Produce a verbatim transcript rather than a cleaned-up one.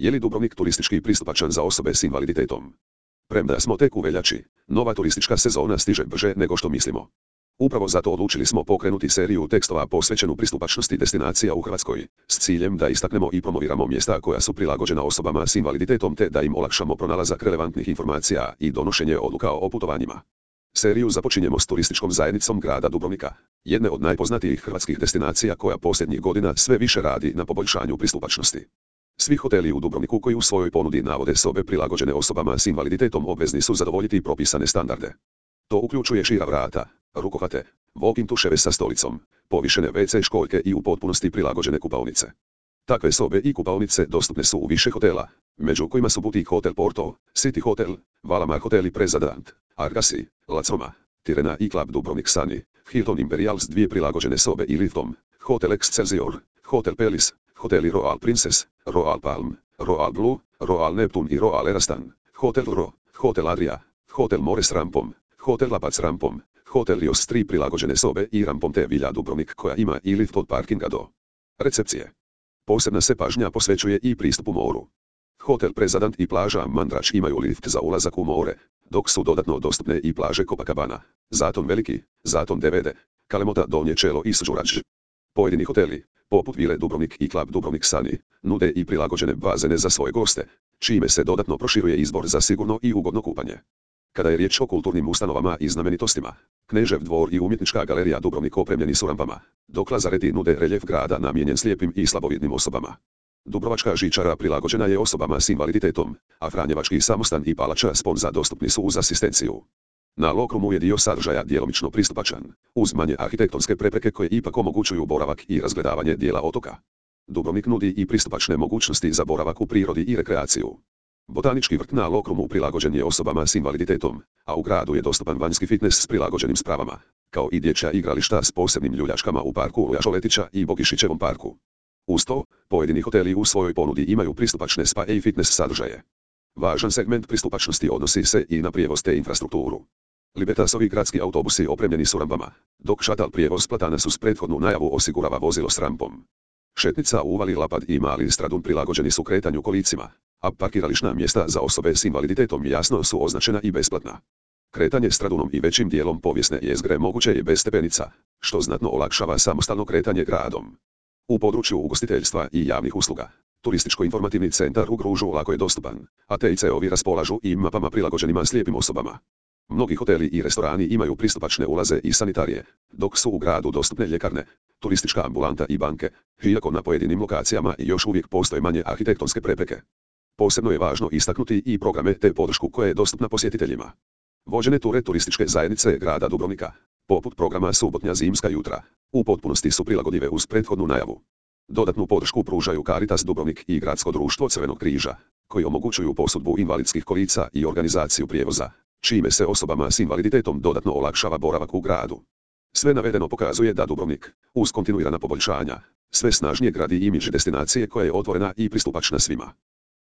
Je li Dubrovnik turistički pristupačan za osobe s invaliditetom? Premda smo tek u veljači, nova turistička sezona stiže brže nego što mislimo. Upravo zato odlučili smo pokrenuti seriju tekstova posvećenu pristupačnosti destinacija u Hrvatskoj, s ciljem da istaknemo i promoviramo mjesta koja su prilagođena osobama s invaliditetom te da im olakšamo pronalazak relevantnih informacija i donošenje odluka o putovanjima. Seriju započinjemo s turističkom zajednicom grada Dubrovnika, jedne od najpoznatijih hrvatskih destinacija koja posljednjih godina sve više radi na poboljšanju pristupačnosti. Svi hoteli u Dubrovniku koji u svojoj ponudi navode sobe prilagođene osobama s invaliditetom obvezni su zadovoljiti propisane standarde. To uključuje šira vrata, rukohvate, walk-in tuševe sa stolicom, povišene ve ce školjke i u potpunosti prilagođene kupaonice. Takve sobe i kupaonice dostupne su u više hotela, među kojima su Boutique Hotel Porto, City Hotel, Valamar Hotel i Presadant, Argasi, Lacoma, Tirena i Club Dubrovnik Sani, Hilton Imperial s dvije prilagođene sobe i liftom, Hotel Excelsior, Hotel Palace, Hoteli Royal Princess, Royal Palm, Royal Blue, Royal Neptune i Royal Erastan, Hotel Ro, Hotel Adria, Hotel More s rampom, Hotel Lapac s rampom, Hotel Rios s tri prilagođene sobe i rampom te Villa Dubrovnik koja ima i lift od parkinga do recepcije. Posebna se pažnja posvećuje i pristupu moru. Hotel Presadant i plaža Mandrač imaju lift za ulazak u more, dok su dodatno dostupne i plaže Copacabana, Zaton Veliki, Zaton Devede, Kalemota Donje Čelo i Suđurač. Pojedini hoteli, poput Vile Dubrovnik i Club Dubrovnik Sani, nude i prilagođene bazene za svoje goste, čime se dodatno proširuje izbor za sigurno i ugodno kupanje. Kada je riječ o kulturnim ustanovama i znamenitostima, Knežev dvor i umjetnička galerija Dubrovnik opremljeni su rampama, dok lazareti nude reljef grada namijenjen slijepim i slabovidnim osobama. Dubrovačka žičara prilagođena je osobama s invaliditetom, a Franjevački samostan i palača Sponza dostupni su uz asistenciju. Na Lokrumu je dio sadržaja djelomično pristupačan, uz manje arhitektonske prepreke koje ipak omogućuju boravak i razgledavanje dijela otoka. Dubrovnik nudi i pristupačne mogućnosti za boravak u prirodi i rekreaciju. Botanički vrt na Lokrumu prilagođen je osobama s invaliditetom, a u gradu je dostupan vanjski fitness s prilagođenim spravama, kao i dječja igrališta s posebnim ljuljačkama u parku Luja Šoletića i Bogišićevom parku. Uz to, pojedini hoteli u svojoj ponudi imaju pristupačne spa i fitness sadržaje. Važan segment pristupačnosti odnosi se i na prijevoz te infrastrukturu. Libertasovi gradski autobusi opremljeni su rampama, dok šatal prijevoz platana su s prethodnu najavu osigurava vozilo s rampom. Šetnica u uvali Lapad i Mali Stradun prilagođeni su kretanju kolicima, a parkirališna mjesta za osobe s invaliditetom jasno su označena i besplatna. Kretanje Stradunom i većim dijelom povijesne jezgre moguće je bez stepenica, što znatno olakšava samostalno kretanje gradom. U području ugostiteljstva i javnih usluga, turističko-informativni centar u Gružu lako je dostupan, a te i ce-ovi raspolažu i mapama prilagođenima slijepim osobama. Mnogi hoteli i restorani imaju pristupačne ulaze i sanitarije, dok su u gradu dostupne ljekarne, turistička ambulanta i banke, iako na pojedinim lokacijama još uvijek postoje manje arhitektonske prepreke. Posebno je važno istaknuti i programe te podršku koja je dostupna posjetiteljima. Vođene ture turističke zajednice grada Dubrovnika, poput programa Subotnja zimska jutra, u potpunosti su prilagodljive uz prethodnu najavu. Dodatnu podršku pružaju Caritas Dubrovnik i Gradsko društvo Crvenog križa, koji omogućuju posudbu invalidskih kolica i organizaciju prijevoza, čime se osobama s invaliditetom dodatno olakšava boravak u gradu. Sve navedeno pokazuje da Dubrovnik, uz kontinuirana poboljšanja, sve snažnije gradi imidž destinacije koja je otvorena i pristupačna svima.